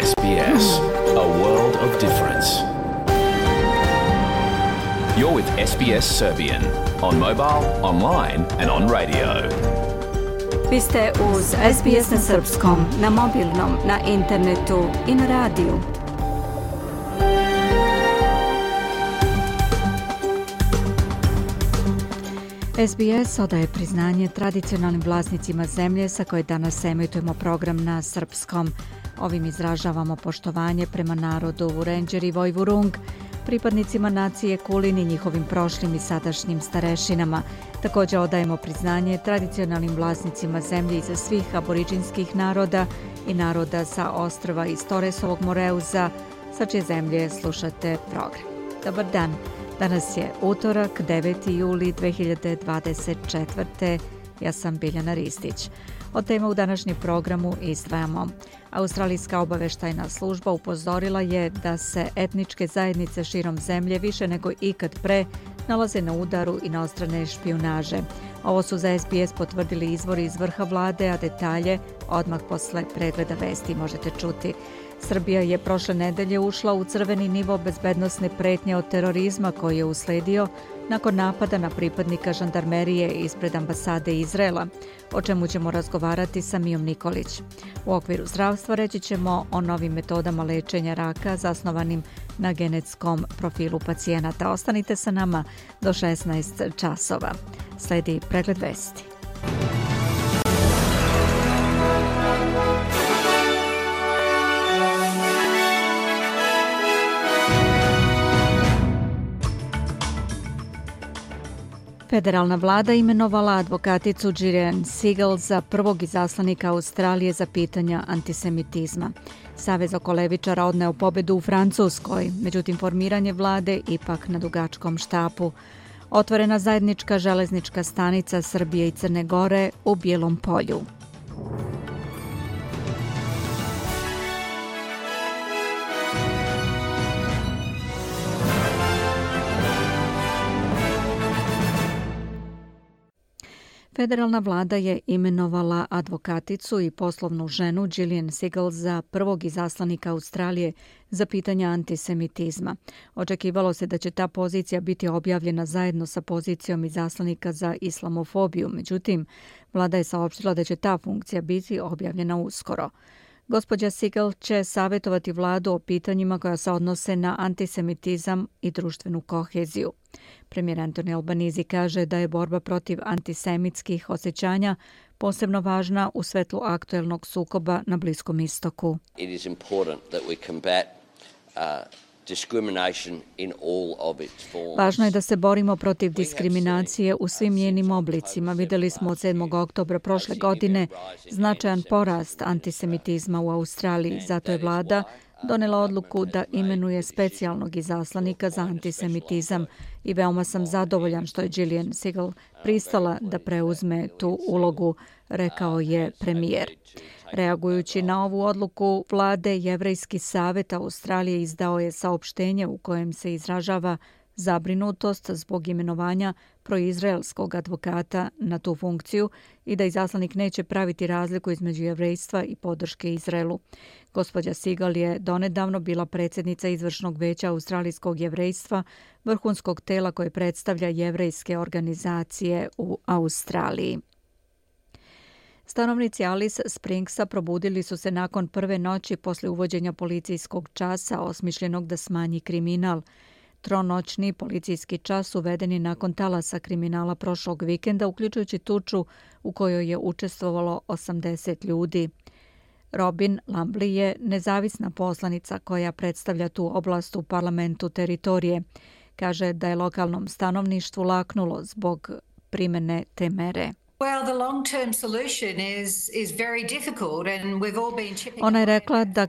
SBS, a world of difference. You're with SBS Serbian on mobile, online and on radio. Vi ste uz SBS na srpskom, na mobilnom, na internetu i na radiju. SBS odaje priznanje tradicionalnim vlasnicima zemlje sa koje danas emitujemo program na srpskom. Ovim izražavamo poštovanje prema narodu Vurenđer i Vojvurung, pripadnicima nacije Kulin i njihovim prošlim i sadašnjim starešinama. Također odajemo priznanje tradicionalnim vlasnicima zemlje iza svih aboriđinskih naroda i naroda sa ostrva iz Toresovog Moreuza, sa čije zemlje slušate program. Dobar dan, danas je utorak, 9. juli 2024. Ja sam Biljana Ristić. Od tema u današnjem programu izdvajamo. Australijska obaveštajna služba upozorila je da se etničke zajednice širom zemlje više nego ikad pre nalaze na udaru inostrane špijunaže. Ovo su za SBS potvrdili izvori iz vrha vlade, a detalje odmah posle pregleda vesti možete čuti. Srbija je prošle nedelje ušla u crveni nivo bezbednosne pretnje od terorizma koji je usledio nakon napada na pripadnika žandarmerije ispred ambasade Izraela, o čemu ćemo razgovarati sa Mijom Nikolić. U okviru zdravstva reći ćemo o novim metodama lečenja raka zasnovanim na genetskom profilu pacijenata. Ostanite sa nama do 16 časova. Sledi pregled vesti. Federalna vlada imenovala advokaticu Gillian Segal za prvog izaslanika Australije za pitanja antisemitizma. Savez oko levičara odneo pobedu u Francuskoj, međutim formiranje vlade ipak na dugačkom štapu. Otvorena zajednička železnička stanica Srbije i Crne Gore u Bijelom Polju. Federalna vlada je imenovala advokaticu i poslovnu ženu Gillian Segal za prvog izaslanika Australije za pitanja antisemitizma. Očekivalo se da će ta pozicija biti objavljena zajedno sa pozicijom izaslanika za islamofobiju, međutim, vlada je saopštila da će ta funkcija biti objavljena uskoro. Gospođa Segal će savjetovati vladu o pitanjima koja se odnose na antisemitizam i društvenu koheziju. Premijer Anthony Albanese kaže da je borba protiv antisemitskih osjećanja posebno važna u svetlu aktuelnog sukoba na Bliskom istoku. It is important that we combat discrimination in all of its forms. Važno je da se borimo protiv diskriminacije u svim njenim oblicima. Vidjeli smo od 7. oktobra prošle godine značajan porast antisemitizma u Australiji. Zato je vlada donela odluku da imenuje specijalnog izaslanika za antisemitizam i veoma sam zadovoljan što je Gillian Segal pristala da preuzme tu ulogu, rekao je premijer. Reagujući na ovu odluku vlade, Jevrejski savjet Australije izdao je saopštenje u kojem se izražava zabrinutost zbog imenovanja proizraelskog advokata na tu funkciju i da izaslanik neće praviti razliku između jevrejstva i podrške Izraelu. Gospođa Segal je donedavno bila predsjednica izvršnog veća australijskog jevrejstva, vrhunskog tela koje predstavlja jevrejske organizacije u Australiji. Stanovnici Alice Springsa probudili su se nakon prve noći posle uvođenja policijskog časa osmišljenog da smanji kriminal. Tronoćni policijski čas uveden je nakon talasa kriminala prošlog vikenda, uključujući tuču u kojoj je učestvovalo 80 ljudi. Robin Lambley je nezavisna poslanica koja predstavlja tu oblast u parlamentu teritorije. Kaže da je lokalnom stanovništvu laknulo zbog primene te mere. Ona je rekla da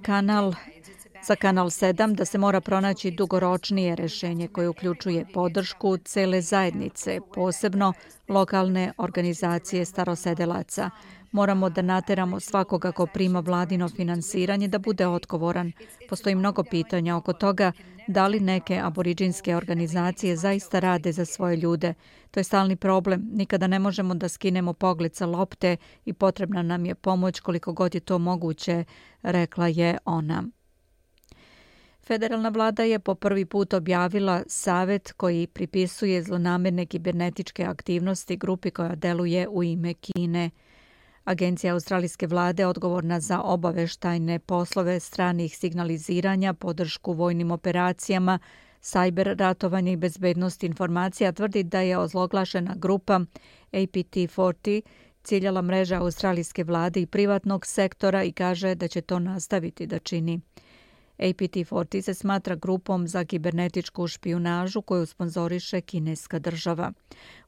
za kanal 7 da se mora pronaći dugoročnije rješenje koje uključuje podršku cele zajednice, posebno lokalne organizacije starosedelaca. Moramo da nateramo svakoga ko prima vladino finansiranje da bude odgovoran. Postoji mnogo pitanja oko toga da li neke aboriđinske organizacije zaista rade za svoje ljude. To je stalni problem. Nikada ne možemo da skinemo pogled sa lopte i potrebna nam je pomoć koliko god je to moguće, rekla je ona. Federalna vlada je po prvi put objavila savet koji pripisuje zlonamerne kibernetičke aktivnosti grupi koja deluje u ime Kine. Agencija australijske vlade odgovorna za obaveštajne poslove stranih signaliziranja, podršku vojnim operacijama, sajber ratovanje i bezbednost informacija tvrdi da je ozloglašena grupa APT40 ciljala mreža australijske vlade i privatnog sektora i kaže da će to nastaviti da čini. APT40 se smatra grupom za kibernetičku špijunažu koju sponzoriše kineska država.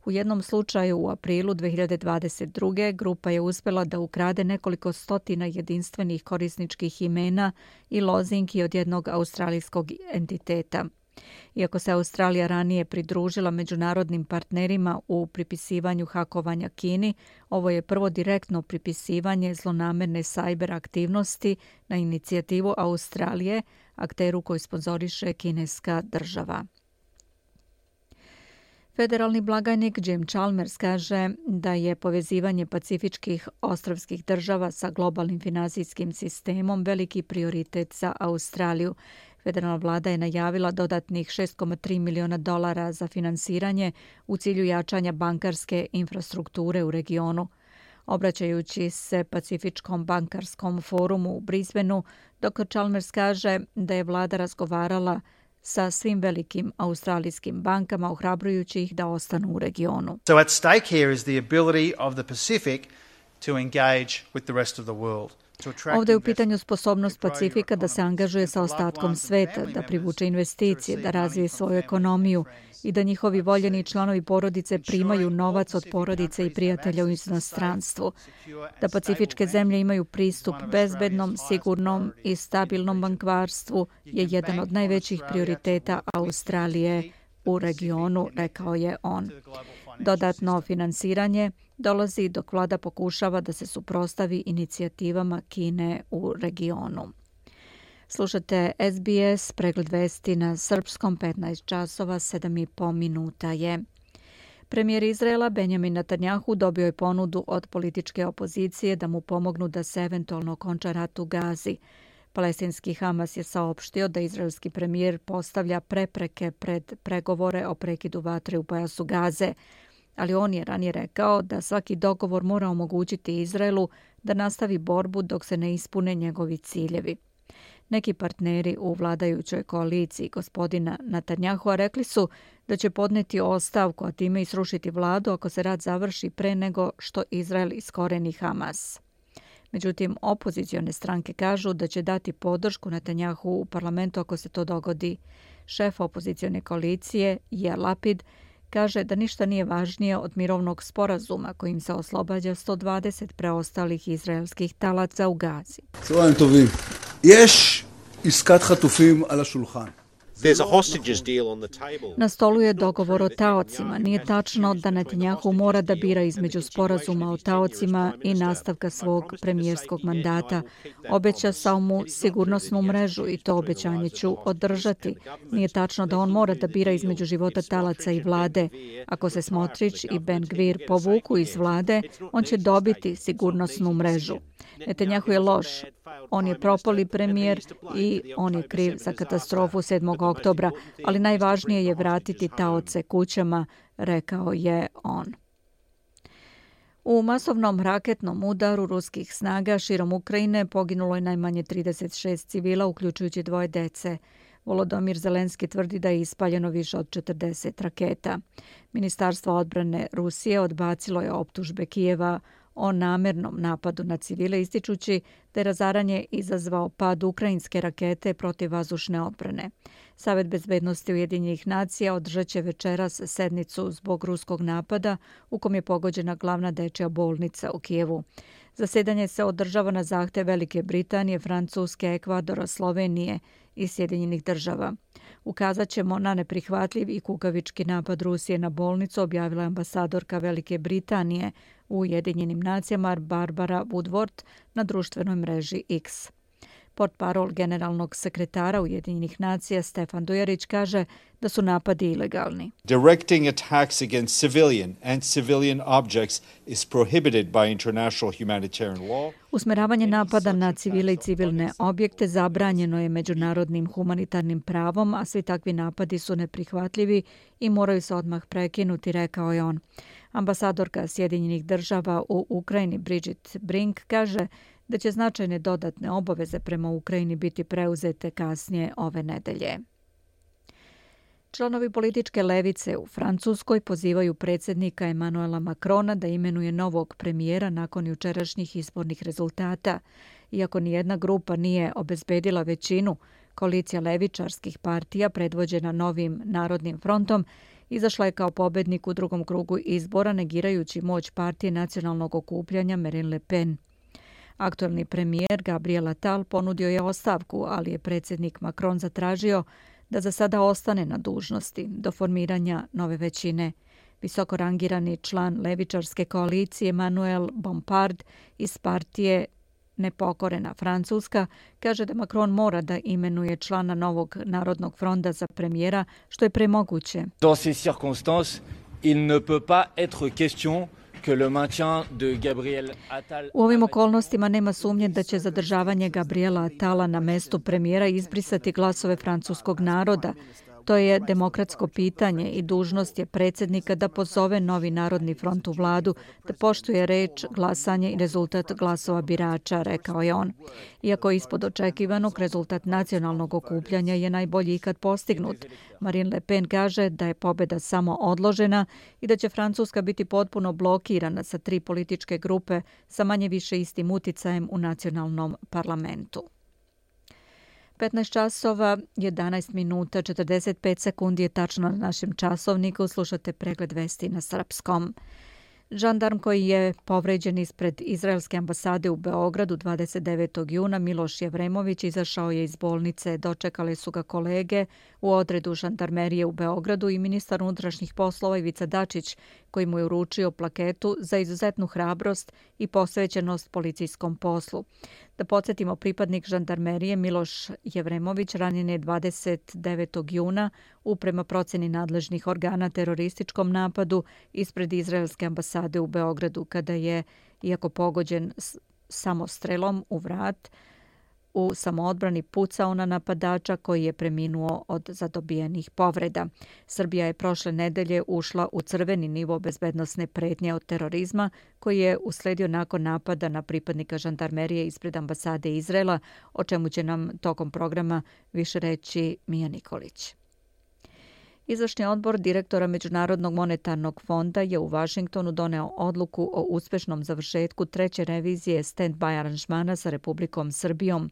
U jednom slučaju u aprilu 2022. grupa je uspjela da ukrade nekoliko stotina jedinstvenih korisničkih imena i lozinki od jednog australijskog entiteta. Iako se Australija ranije pridružila međunarodnim partnerima u pripisivanju hakovanja Kini, ovo je prvo direktno pripisivanje zlonamerne sajber aktivnosti na inicijativu Australije, akteru koji sponzoriše kineska država. Federalni blagajnik Jim Chalmers kaže da je povezivanje pacifičkih ostrvskih država sa globalnim finansijskim sistemom veliki prioritet za Australiju. Federalna vlada je najavila dodatnih $6,3 miliona za finansiranje u cilju jačanja bankarske infrastrukture u regionu. Obraćajući se Pacifičkom bankarskom forumu u Brisbaneu, dr. Chalmers kaže da je vlada razgovarala sa svim velikim australijskim bankama, ohrabrujući ih da ostanu u regionu. So at stake here is the ability of the Pacific to engage with the rest of the world. Ovdje je u pitanju sposobnost Pacifika da se angažuje sa ostatkom sveta, da privuče investicije, da razvije svoju ekonomiju i da njihovi voljeni članovi porodice primaju novac od porodice i prijatelja u inostranstvu. Da pacifičke zemlje imaju pristup bezbednom, sigurnom i stabilnom bankvarstvu je jedan od najvećih prioriteta Australije u regionu, rekao je on. Dodatno finansiranje dolazi dok vlada pokušava da se suprotstavi inicijativama Kine u regionu. Slušate SBS, pregled vesti na srpskom, 15 časova, 7,5 minuta je. Premijer Izraela Benjamin Netanjahu dobio je ponudu od političke opozicije da mu pomognu da se eventualno okonča rat u Gazi. Palestinski Hamas je saopštio da izraelski premijer postavlja prepreke pred pregovore o prekidu vatre u pojasu Gaze, ali on je ranije rekao da svaki dogovor mora omogućiti Izraelu da nastavi borbu dok se ne ispune njegovi ciljevi. Neki partneri u vladajućoj koaliciji gospodina Netanyahua rekli su da će podneti ostavku, a time i srušiti vladu ako se rat završi pre nego što Izrael iskoreni Hamas. Međutim, opozicione stranke kažu da će dati podršku Netanyahu u parlamentu ako se to dogodi. Šef opozicione koalicije, Yair Lapid, kaže da ništa nije važnije od mirovnog sporazuma kojim se oslobađa 120 preostalih izraelskih talaca u Gazi. Na stolu je dogovor o taocima. Nije tačno da Netanjahu mora da bira između sporazuma o taocima i nastavka svog premijerskog mandata. Obećao mu sigurnosnu mrežu i to obećanje ću održati. Nije tačno da on mora da bira između života talaca i vlade. Ako se Smotrić i Ben Gvir povuku iz vlade, on će dobiti sigurnosnu mrežu. Netanjahu je loš. On je propali premijer i on je kriv za katastrofu 7. oktobra, ali najvažnije je vratiti taoce kućama, rekao je on. U masovnom raketnom udaru ruskih snaga širom Ukrajine poginulo je najmanje 36 civila, uključujući 2 dece. Volodymyr Zelenski tvrdi da je ispaljeno više od 40 raketa. Ministarstvo odbrane Rusije odbacilo je optužbe Kijeva o namernom napadu na civile, ističući da je razaranje izazvao pad ukrajinske rakete protivvazdušne odbrane. Savet bezbednosti Ujedinjenih nacija održat će večeras sednicu zbog ruskog napada u kom je pogođena glavna dečja bolnica u Kijevu. Zasedanje se održava na zahtev Velike Britanije, Francuske, Ekvadora, Slovenije i Sjedinjenih država. Ukazat ćemo na neprihvatljiv i kukavički napad Rusije na bolnicu, objavila ambasadorka Velike Britanije u Ujedinjenim nacijama Barbara Woodward na društvenoj mreži X. Portparol generalnog sekretara Ujedinjenih nacija Stefan Dujarić kaže da su napadi ilegalni. Directing attacks against civilian and civilian objects is prohibited by international humanitarian law. Usmeravanje napada na civile i civilne objekte zabranjeno je međunarodnim humanitarnim pravom, a svi takvi napadi su neprihvatljivi i moraju se odmah prekinuti, rekao je on. Ambasadorka Sjedinjenih država u Ukrajini Bridget Brink kaže da će značajne dodatne obaveze prema Ukrajini biti preuzete kasnije ove nedelje. Članovi političke levice u Francuskoj pozivaju predsjednika Emmanuela Macrona da imenuje novog premijera nakon jučerašnjih izbornih rezultata. Iako nijedna grupa nije obezbedila većinu, koalicija levičarskih partija predvođena Novim narodnim frontom izašla je kao pobednik u drugom krugu izbora, negirajući moć partije nacionalnog okupljanja Marine Le Pen. Aktuelni premijer Gabriel Attal ponudio je ostavku, ali je predsjednik Macron zatražio da za sada ostane na dužnosti do formiranja nove većine. Visoko rangirani član levičarske koalicije Manuel Bompard iz partije Nepokorena Francuska kaže da Macron mora da imenuje člana Novog narodnog fronta za premijera što je premoguće. Dans ces circonstances, il ne peut pas être question que le maintien de Gabriel Attal. U ovim okolnostima nema sumnje da će zadržavanje Gabriela Attala na mestu premijera izbrisati glasove francuskog naroda. To je demokratsko pitanje i dužnost je predsjednika da pozove Novi narodni front u vladu, da poštuje reč, glasanje i rezultat glasova birača, rekao je on. Iako ispod očekivanog, rezultat nacionalnog okupljanja je najbolji ikad postignut. Marine Le Pen kaže da je pobjeda samo odložena i da će Francuska biti potpuno blokirana sa 3 političke grupe sa manje više istim uticajem u nacionalnom parlamentu. 15 časova, 11 minuta, 45 sekundi je tačno na našem časovniku. Slušate pregled vesti na srpskom. Žandarm koji je povređen ispred izraelske ambasade u Beogradu 29. juna, Miloš Jevremović, izašao je iz bolnice. Dočekale su ga kolege u odredu žandarmerije u Beogradu i ministar unutrašnjih poslova Ivica Dačić, koji mu je uručio plaketu za izuzetnu hrabrost i posvećenost policijskom poslu. Da podsjetimo, pripadnik žandarmerije Miloš Jevremović ranjen je 29. juna u, prema proceni nadležnih organa, terorističkom napadu ispred izraelske ambasade u Beogradu, kada je, iako pogođen samostrelom u vrat, u samoodbrani pucao na napadača koji je preminuo od zadobijenih povreda. Srbija je prošle nedelje ušla u crveni nivo bezbednosne pretnje od terorizma koji je usledio nakon napada na pripadnika žandarmerije ispred ambasade Izraela, o čemu će nam tokom programa više reći Mija Nikolić. Izvršni odbor direktora Međunarodnog monetarnog fonda je u Vašingtonu doneo odluku o uspešnom završetku 3. revizije stand-by aranžmana sa Republikom Srbijom.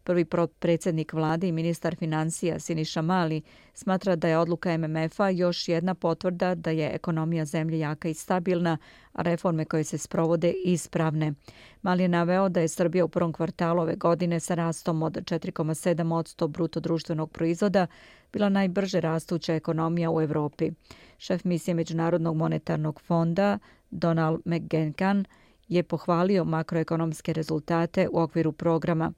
Prvi predsjednik vlade i ministar financija Siniša Mali smatra da je odluka MMF-a još jedna potvrda da je ekonomija zemlje jaka i stabilna, a reforme koje se sprovode ispravne. Mali je naveo da je Srbija u prvom kvartalu ove godine sa rastom od 4,7% bruto društvenog proizvoda bila najbrže rastuća ekonomija u Evropi. Šef misije Međunarodnog monetarnog fonda Donald McGenkan je pohvalio makroekonomske rezultate u okviru programa.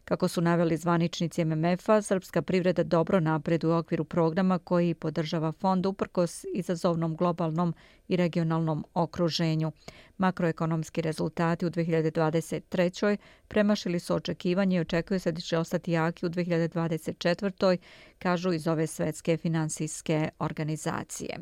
Kako su naveli zvaničnici MMF-a, srpska privreda dobro napreduje u okviru programa koji podržava fond uprkos izazovnom globalnom i regionalnom okruženju. Makroekonomski rezultati u 2023. premašili su očekivanje i očekuje se da će ostati jaki u 2024. kažu iz ove svetske finansijske organizacije.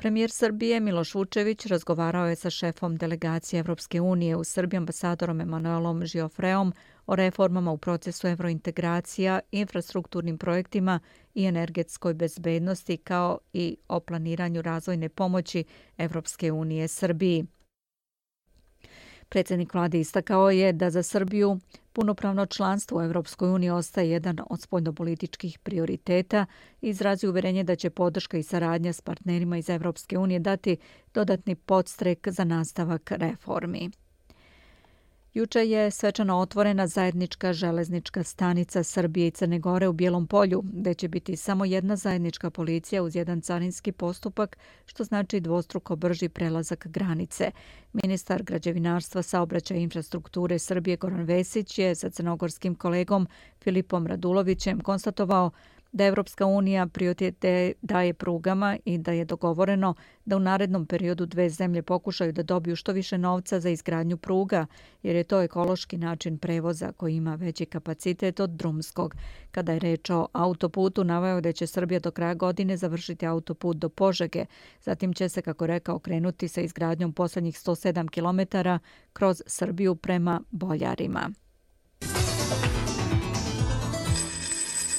Premijer Srbije Miloš Vučević razgovarao je sa šefom delegacije Evropske unije u Srbiji ambasadorom Emanuelom Žiofreom o reformama u procesu evrointegracija, infrastrukturnim projektima i energetskoj bezbednosti kao i o planiranju razvojne pomoći Evropske unije Srbiji. Predsjednik vlade istakao je da za Srbiju punopravno članstvo u Evropskoj uniji ostaje jedan od spoljnopolitičkih prioriteta i izrazio uverenje da će podrška i saradnja s partnerima iz Evropske unije dati dodatni podstrek za nastavak reformi. Juče je svečano otvorena zajednička železnička stanica Srbije i Crne Gore u Bijelom Polju, gde će biti samo jedna zajednička policija uz jedan carinski postupak, što znači dvostruko brži prelazak granice. Ministar građevinarstva, saobraćaja i infrastrukture Srbije Goran Vesić je sa crnogorskim kolegom Filipom Radulovićem konstatovao da Evropska unija prioritete daje prugama i da je dogovoreno da u narednom periodu dve zemlje pokušaju da dobiju što više novca za izgradnju pruga, jer je to ekološki način prevoza koji ima veći kapacitet od drumskog. Kada je reč o autoputu, naveo da će Srbija do kraja godine završiti autoput do Požege. Zatim će se, kako rekao, krenuti sa izgradnjom poslednjih 107 km kroz Srbiju prema Boljarima.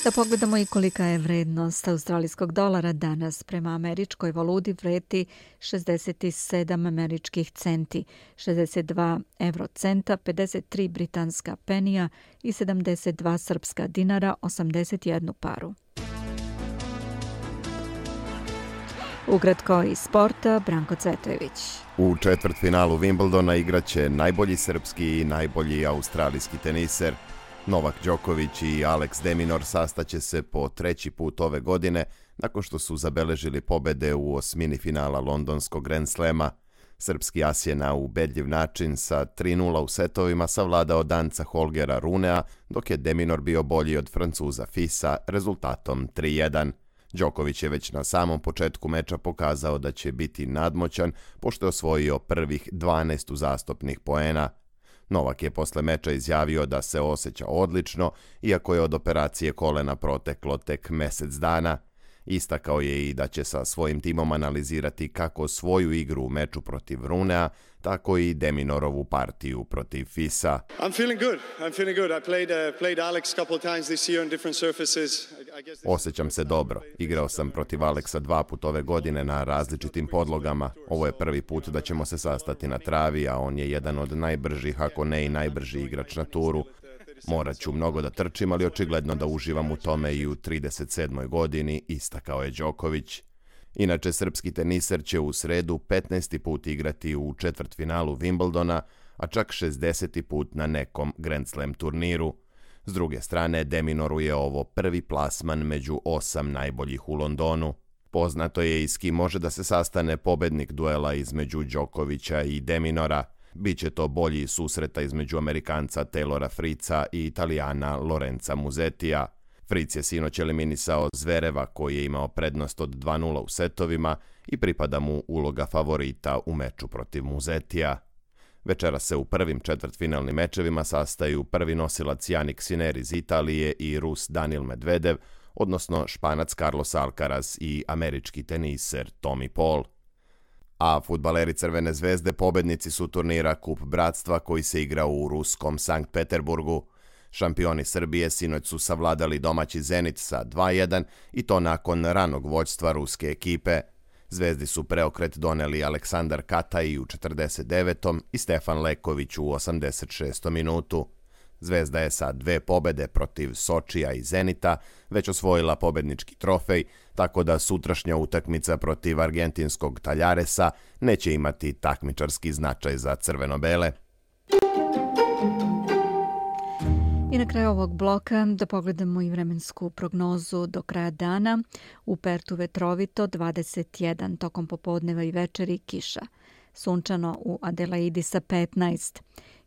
Da pogledamo i kolika je vrednost australijskog dolara danas. Prema američkoj valuti vredi 67 američkih centi, 62 eurocenta, 53 britanska penija i 72 srpska dinara, 81 paru. Ukratko iz sporta, Branko Cvetojević. U četvrtfinalu Wimbledona igraće najbolji srpski i najbolji australijski teniser. Novak Đoković i Alex de Minaur sastaće se po treći put ove godine nakon što su zabeležili pobede u osmini finala londonskog Grand Slema. Srpski as je na ubedljiv način sa 3:0 u setovima savladao Danca Holgera Runea, dok je de Minaur bio bolji od Francuza Fisa rezultatom 3:1. Đoković je već na samom početku meča pokazao da će biti nadmoćan, pošto je osvojio prvih 12 uzastopnih poena. Novak je posle meča izjavio da se osjeća odlično, iako je od operacije kolena proteklo tek mesec dana. Istakao je i da će sa svojim timom analizirati kako svoju igru u meču protiv Runea, tako i de Minaurovu partiju protiv Fisa. Osjećam se dobro. Igrao sam protiv Alexa 2 puta ove godine na različitim podlogama. Ovo je prvi put da ćemo se sastati na travi, a on je jedan od najbržih, ako ne i najbrži igrač na turu. Morat ću mnogo da trčim, ali očigledno da uživam u tome i u 37. godini, istakao je Đoković. Inače, srpski teniser će u sredu 15. put igrati u četvrtfinalu Wimbledona, a čak 60. put na nekom Grand Slam turniru. S druge strane, de Minauru je ovo prvi plasman među 8 najboljih u Londonu. Poznato je i s kim može da se sastane pobednik duela između Đokovića i de Minaura. Biće to bolji susreta između Amerikanca Taylora Friza i Italijana Lorenza Musettija. Friz je sinoć eliminisao Zvereva, koji je imao prednost od 2:0 u setovima i pripada mu uloga favorita u meču protiv Musettija. Večera se u prvim četvrtfinalnim mečevima sastaju prvi nosilac Jannik Sinner iz Italije i Rus Daniil Medvedev, odnosno Španac Carlos Alcaraz i američki teniser Tommy Paul. A fudbaleri Crvene zvezde pobednici su turnira Kup bratstva koji se igra u ruskom Sankt Peterburgu. Šampioni Srbije sinoć su savladali domaći Zenit sa 2:1 i to nakon ranog vođstva ruske ekipe. Zvezdi su preokret doneli Aleksandar Kataj u 49. i Stefan Leković u 86. minutu. Zvezda je sa 2 pobede protiv Sočija i Zenita već osvojila pobednički trofej, tako da sutrašnja utakmica protiv argentinskog Taljaresa neće imati takmičarski značaj za crveno-bele. I na kraju ovog bloka da pogledamo i vremensku prognozu do kraja dana. U Pertu vetrovito 21, tokom popodneva i večeri kiša. Sunčano u Adelaidi sa 15.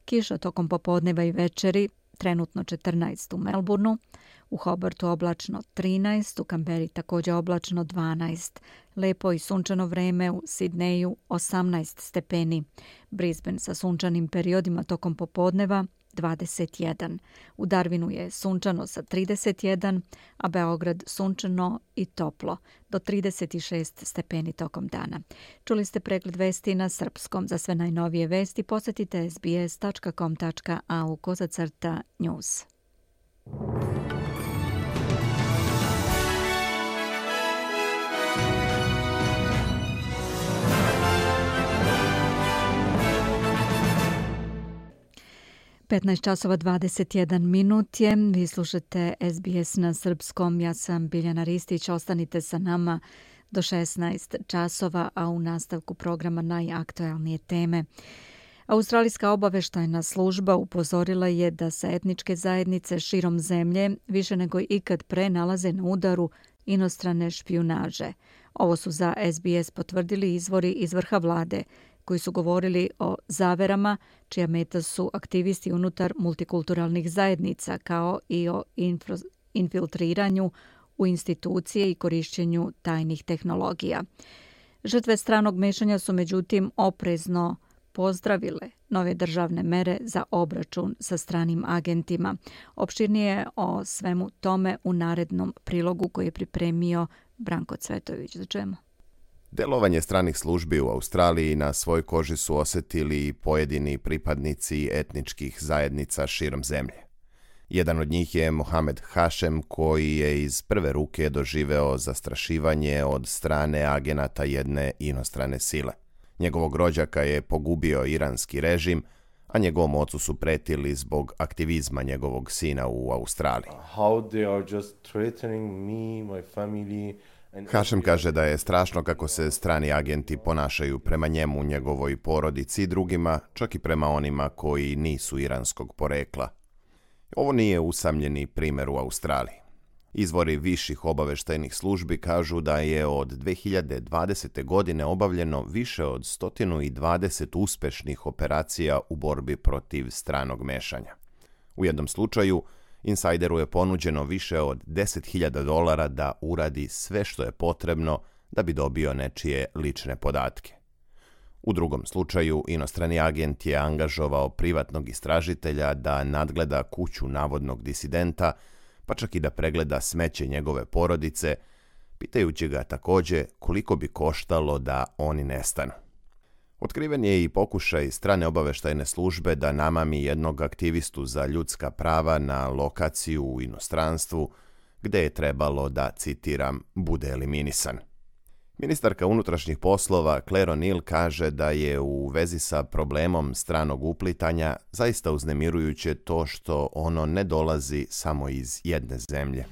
Kiša tokom popodneva i večeri, trenutno 14 u Melbourneu, u Hobartu oblačno 13, u Kamberi također oblačno 12, lepo i sunčano vreme u Sidneju 18 stepeni, Brisbane sa sunčanim periodima tokom popodneva 21, u Darwinu je sunčano sa 31, a Beograd sunčano i toplo do 36 stepeni tokom dana. Čuli ste pregled vesti na srpskom. Za sve najnovije vesti posjetite sbs.com.au/news. časova 21 minut je. Vi slušate SBS na srpskom. Ja sam Biljana Ristić. Ostanite sa nama do 16 časova, a u nastavku programa najaktualnije teme. Australijska obavještajna služba upozorila je da se etničke zajednice širom zemlje više nego ikad pre nalaze na udaru inostrane špijunaže. Ovo su za SBS potvrdili izvori iz vrha vlade, koji su govorili o zaverama čija meta su aktivisti unutar multikulturalnih zajednica, kao i o infiltriranju u institucije i korišćenju tajnih tehnologija. Žrtve stranog mešanja su međutim oprezno pozdravile nove državne mere za obračun sa stranim agentima. Opširnije o svemu tome u narednom prilogu koji je pripremio Branko Cvetović. Za čemu? Delovanje stranih službi u Australiji na svojoj koži su osjetili pojedini pripadnici etničkih zajednica širom zemlje. Jedan od njih je Mohamed Hašem, koji je iz prve ruke doživeo zastrašivanje od strane agenata jedne inostrane sile. Njegovog rođaka je pogubio iranski režim, a njegovom ocu su pretili zbog aktivizma njegovog sina u Australiji. Hašem kaže da je strašno kako se strani agenti ponašaju prema njemu, njegovoj porodici i drugima, čak i prema onima koji nisu iranskog porekla. Ovo nije usamljeni primjer u Australiji. Izvori viših obavještajnih službi kažu da je od 2020. godine obavljeno više od 120 uspešnih operacija u borbi protiv stranog mešanja. U jednom slučaju, insajderu je ponuđeno više od $10.000 da uradi sve što je potrebno da bi dobio nečije lične podatke. U drugom slučaju, inostrani agent je angažovao privatnog istražitelja da nadgleda kuću navodnog disidenta, pa čak i da pregleda smeće njegove porodice, pitajući ga također koliko bi koštalo da oni nestanu. Otkriven je i pokušaj strane obavještajne službe da namami jednog aktivistu za ljudska prava na lokaciju u inostranstvu, gde je trebalo da, citiram, bude eliminisan. Ministarka unutrašnjih poslova Claire O'Neill kaže da je u vezi sa problemom stranog uplitanja zaista uznemirujuće to što ono ne dolazi samo iz jedne zemlje.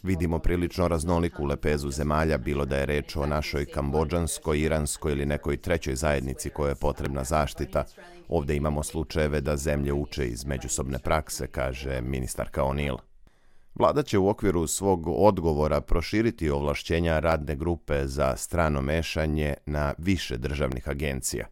Vidimo prilično raznoliku lepezu zemalja, bilo da je reč o našoj kambodžanskoj, iranskoj ili nekoj trećoj zajednici kojoj je potrebna zaštita. Ovdje imamo slučajeve da zemlje uče iz međusobne prakse, kaže ministarka O'Neill. Vlada će u okviru svog odgovora proširiti ovlašćenja radne grupe za strano mešanje na više državnih agencija.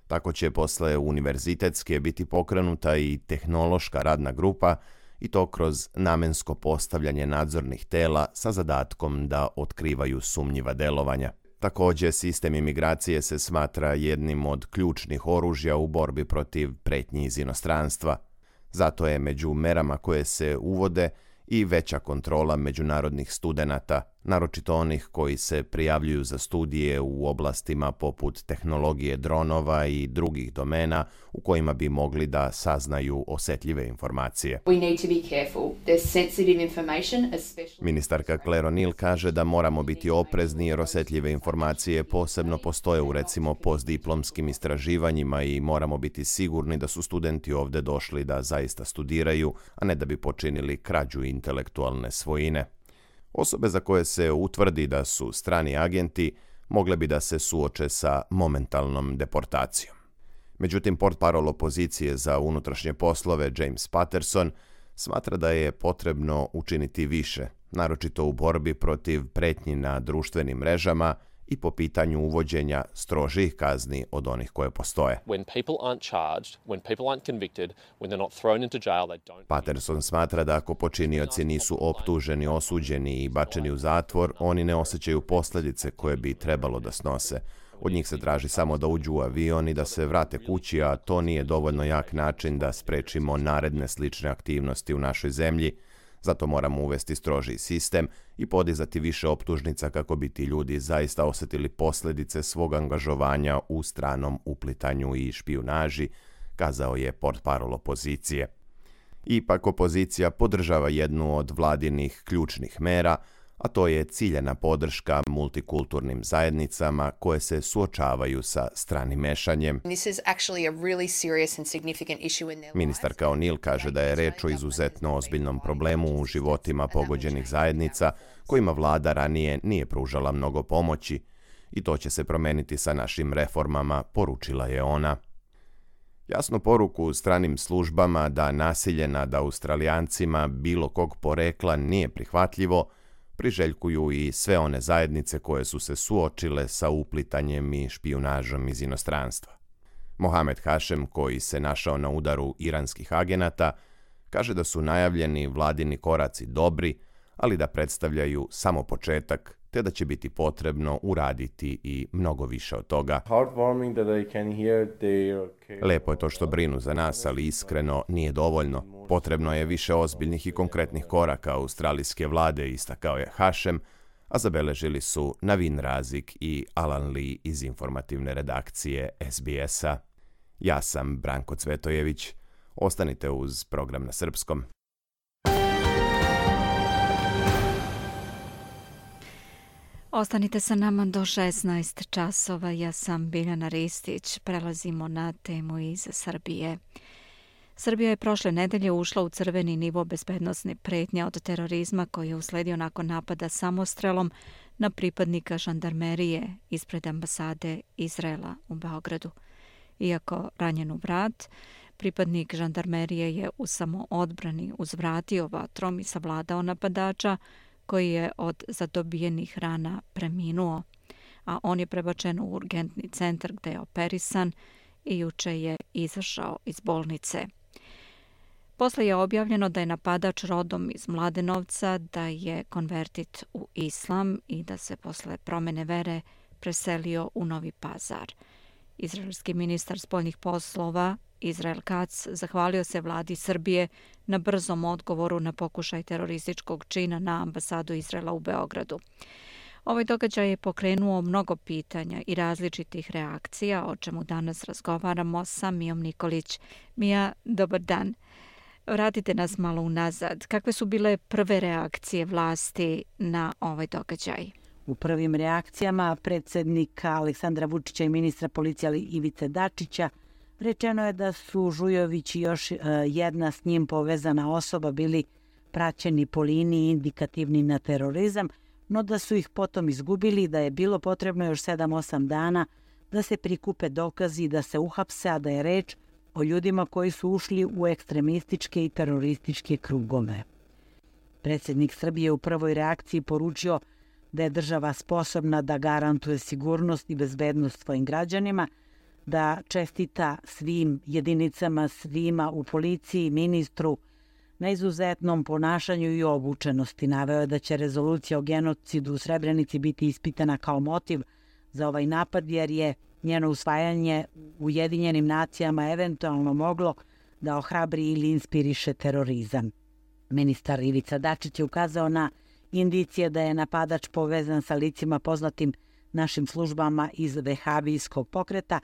Tako će posle univerzitetske biti pokrenuta i tehnološka radna grupa, i to kroz namensko postavljanje nadzornih tela sa zadatkom da otkrivaju sumnjiva delovanja. Također, sistem imigracije se smatra jednim od ključnih oružja u borbi protiv pretnji iz inostranstva. Zato je među merama koje se uvode i veća kontrola međunarodnih studenata, naročito onih koji se prijavljuju za studije u oblastima poput tehnologije dronova i drugih domena u kojima bi mogli da saznaju osjetljive informacije. Ministarka Claire O'Neill kaže da moramo biti oprezni jer osjetljive informacije posebno postoje u recimo postdiplomskim istraživanjima i moramo biti sigurni da su studenti ovdje došli da zaista studiraju, a ne da bi počinili krađu intelektualne svojine. Osobe za koje se utvrdi da su strani agenti mogle bi da se suoče sa momentalnom deportacijom. Međutim, portparol opozicije za unutrašnje poslove James Patterson smatra da je potrebno učiniti više, naročito u borbi protiv pretnji na društvenim mrežama i po pitanju uvođenja strožih kazni od onih koje postoje. Patterson smatra da ako počinioci nisu optuženi, osuđeni i bačeni u zatvor, oni ne osjećaju posljedice koje bi trebalo da snose. Od njih se traži samo da uđu u avion i da se vrate kući, a to nije dovoljno jak način da sprečimo naredne slične aktivnosti u našoj zemlji. Zato moramo uvesti strožiji sistem i podizati više optužnica kako bi ti ljudi zaista osjetili posljedice svog angažovanja u stranom uplitanju i špijunaži, kazao je portparol opozicije. Ipak opozicija podržava jednu od vladinih ključnih mera, a to je ciljena podrška multikulturnim zajednicama koje se suočavaju sa stranim mešanjem. Ministarka O'Neill kaže da je reč o izuzetno ozbiljnom problemu u životima pogođenih zajednica kojima vlada ranije nije pružala mnogo pomoći i to će se promeniti sa našim reformama, poručila je ona. Jasnu poruku stranim službama da nasilje nad Australijancima bilo kog porekla nije prihvatljivo, priželjkuju i sve one zajednice koje su se suočile sa uplitanjem i špijunažom iz inostranstva. Mohamed Hašem, koji se našao na udaru iranskih agenata, kaže da su najavljeni vladini koraci dobri, ali da predstavljaju samo početak, te da će biti potrebno uraditi i mnogo više od toga. Lepo je to što brinu za nas, ali iskreno nije dovoljno. Potrebno je više ozbiljnih i konkretnih koraka australijske vlade, istakao je Hašem, a zabeležili su Navin Razik i Alan Lee iz informativne redakcije SBS-a. Ja sam Branko Cvetojević. Ostanite uz program na srpskom. Ostanite sa nama do 16 časova. Ja sam Biljana Ristić. Prelazimo na temu iz Srbije. Srbija je prošle nedelje ušla u crveni nivo bezbednosne pretnje od terorizma koji je usledio nakon napada samostrelom na pripadnika žandarmerije ispred ambasade Izraela u Beogradu. Iako ranjen u vrat, pripadnik žandarmerije je u samoodbrani uzvratio vatrom i savladao napadača koji je od zadobijenih rana preminuo, a on je prebačen u urgentni centar gde je operisan i juče je izašao iz bolnice. Posle je objavljeno da je napadač rodom iz Mladenovca, da je konvertit u islam i da se posle promene vere preselio u Novi Pazar. Izraelski ministar spoljnih poslova Israel Katz zahvalio se vladi Srbije na brzom odgovoru na pokušaj terorističkog čina na ambasadu Izraela u Beogradu. Ovaj događaj je pokrenuo mnogo pitanja i različitih reakcija, o čemu danas razgovaramo sa Mijom Nikolić. Mija, dobar dan. Vratite nas malo unazad. Kakve su bile prve reakcije vlasti na ovaj događaj? U prvim reakcijama predsjednika Aleksandra Vučića i ministra policije Ivice Dačića rečeno je da su Žujović i još jedna s njim povezana osoba bili praćeni po liniji indikativni na terorizam, no da su ih potom izgubili i da je bilo potrebno još 7-8 dana da se prikupe dokazi i da se uhapse, a da je reč o ljudima koji su ušli u ekstremističke i terorističke krugove. Predsjednik Srbije u prvoj reakciji poručio da je država sposobna da garantuje sigurnost i bezbednost svojim građanima, da čestita svim jedinicama, svima u policiji, ministru na izuzetnom ponašanju i obučenosti. Naveo je da će rezolucija o genocidu u Srebrenici biti ispitana kao motiv za ovaj napad, jer je njeno usvajanje u Ujedinjenim nacijama eventualno moglo da ohrabri ili inspiriše terorizam. Ministar Ivica Dačić je ukazao na indicije da je napadač povezan sa licima poznatim našim službama iz vehabijskog pokreta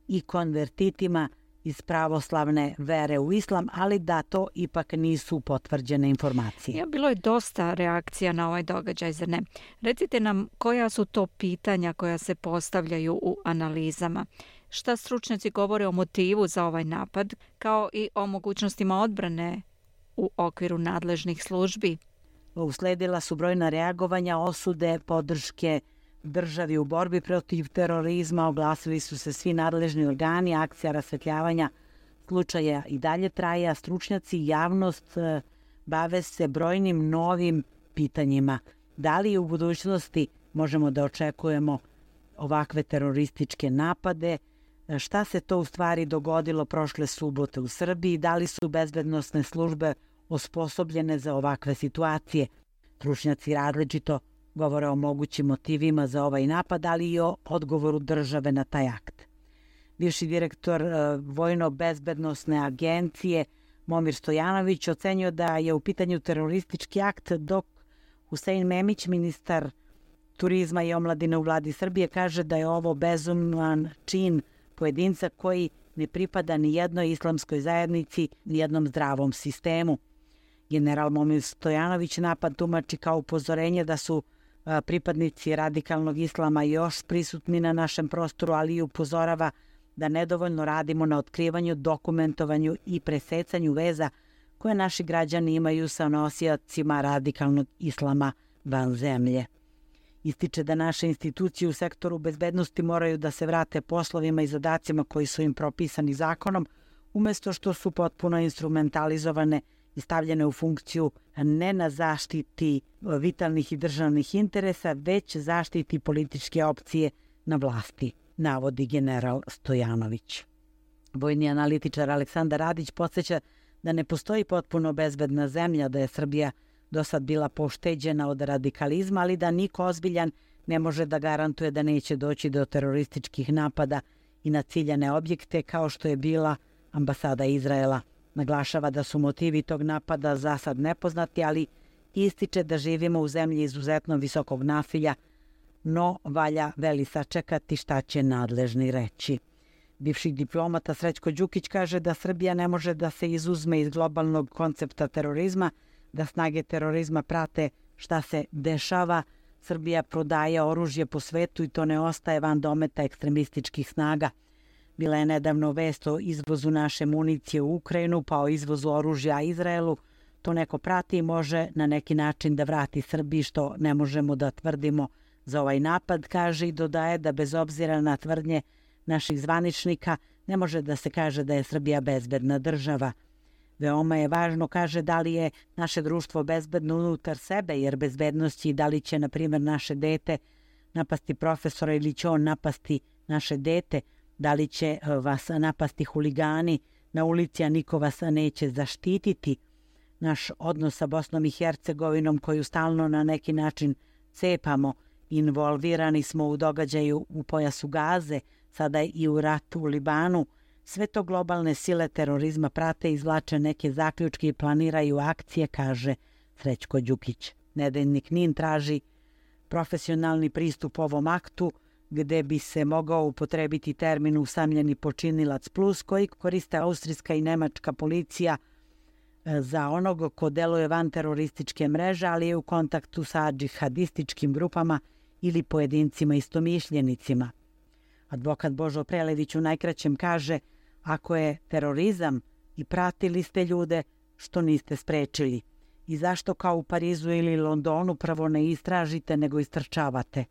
i konvertitima iz pravoslavne vere u islam, ali da to ipak nisu potvrđene informacije. Bilo je dosta reakcija na ovaj događaj, zar ne? Recite nam koja su to pitanja koja se postavljaju u analizama. Šta stručnjaci govore o motivu za ovaj napad, kao i o mogućnostima odbrane u okviru nadležnih službi? Usledila su brojna reagovanja, osude, podrške državi u borbi protiv terorizma, oglasili su se svi nadležni organi, akcija rasvetljavanja slučaja i dalje traje, a stručnjaci i javnost bave se brojnim novim pitanjima. Da li u budućnosti možemo da očekujemo ovakve terorističke napade? Šta se to u stvari dogodilo prošle subote u Srbiji? Da li su bezbednosne službe osposobljene za ovakve situacije? Stručnjaci različito govore o mogućim motivima za ovaj napad, ali i o odgovoru države na taj akt. Bivši direktor Vojno-bezbednosne agencije Momir Stojanović ocenio da je u pitanju teroristički akt, dok Husein Memić, ministar turizma i omladine u vladi Srbije, kaže da je ovo bezuman čin pojedinca koji ne pripada ni jednoj islamskoj zajednici, ni jednom zdravom sistemu. General Momir Stojanović napad tumači kao upozorenje da su pripadnici radikalnog islama još prisutni na našem prostoru, ali i upozorava da nedovoljno radimo na otkrivanju, dokumentovanju i presecanju veza koje naši građani imaju sa nosiocima radikalnog islama van zemlje. Ističe da naše institucije u sektoru bezbednosti moraju da se vrate poslovima i zadacima koji su im propisani zakonom, umjesto što su potpuno instrumentalizovane i stavljene u funkciju ne na zaštiti vitalnih i državnih interesa, već zaštiti političke opcije na vlasti, navodi general Stojanović. Vojni analitičar Aleksandar Radić podsjeća da ne postoji potpuno bezbedna zemlja, da je Srbija do sad bila pošteđena od radikalizma, ali da niko ozbiljan ne može da garantuje da neće doći do terorističkih napada i na ciljane objekte kao što je bila ambasada Izraela. Naglašava da su motivi tog napada za sad nepoznati, ali ističe da živimo u zemlji izuzetno visokog nasilja, no valja veli sačekati šta će nadležni reći. Bivši diplomata Srećko Đukić kaže da Srbija ne može da se izuzme iz globalnog koncepta terorizma, da snage terorizma prate šta se dešava. Srbija prodaje oružje po svetu i to ne ostaje van dometa ekstremističkih snaga. Bila je nedavno vest o izvozu naše municije u Ukrajinu, pa o izvozu oružja Izraelu. To neko prati i može na neki način da vrati Srbiji, što ne možemo da tvrdimo za ovaj napad, kaže i dodaje da bez obzira na tvrdnje naših zvaničnika ne može da se kaže da je Srbija bezbedna država. Veoma je važno, kaže, da li je naše društvo bezbedno unutar sebe, jer bezbednost je da li će, na primjer, naše dete napasti profesora ili će on napasti naše dete, da li će vas napasti huligani na ulici, a niko vas neće zaštititi. Naš odnos sa Bosnom i Hercegovinom, koju stalno na neki način cepamo, involvirani smo u događaju u pojasu Gaze, sada i u ratu u Libanu. Sve to globalne sile terorizma prate, izvlače neke zaključke i planiraju akcije, kaže Srećko Đukić. Nedeljnik NIN traži profesionalni pristup ovom aktu, gde bi se mogao upotrebiti termin usamljeni počinilac plus, koji koriste austrijska i nemačka policija za onog ko deluje van terorističke mreže, ali je u kontaktu sa džihadističkim grupama ili pojedincima istomišljenicima. Advokat Božo Prelević u najkraćem kaže: ako je terorizam i pratili ste ljude, što niste sprečili? I zašto kao u Parizu ili Londonu prvo ne istražite nego istrčavate?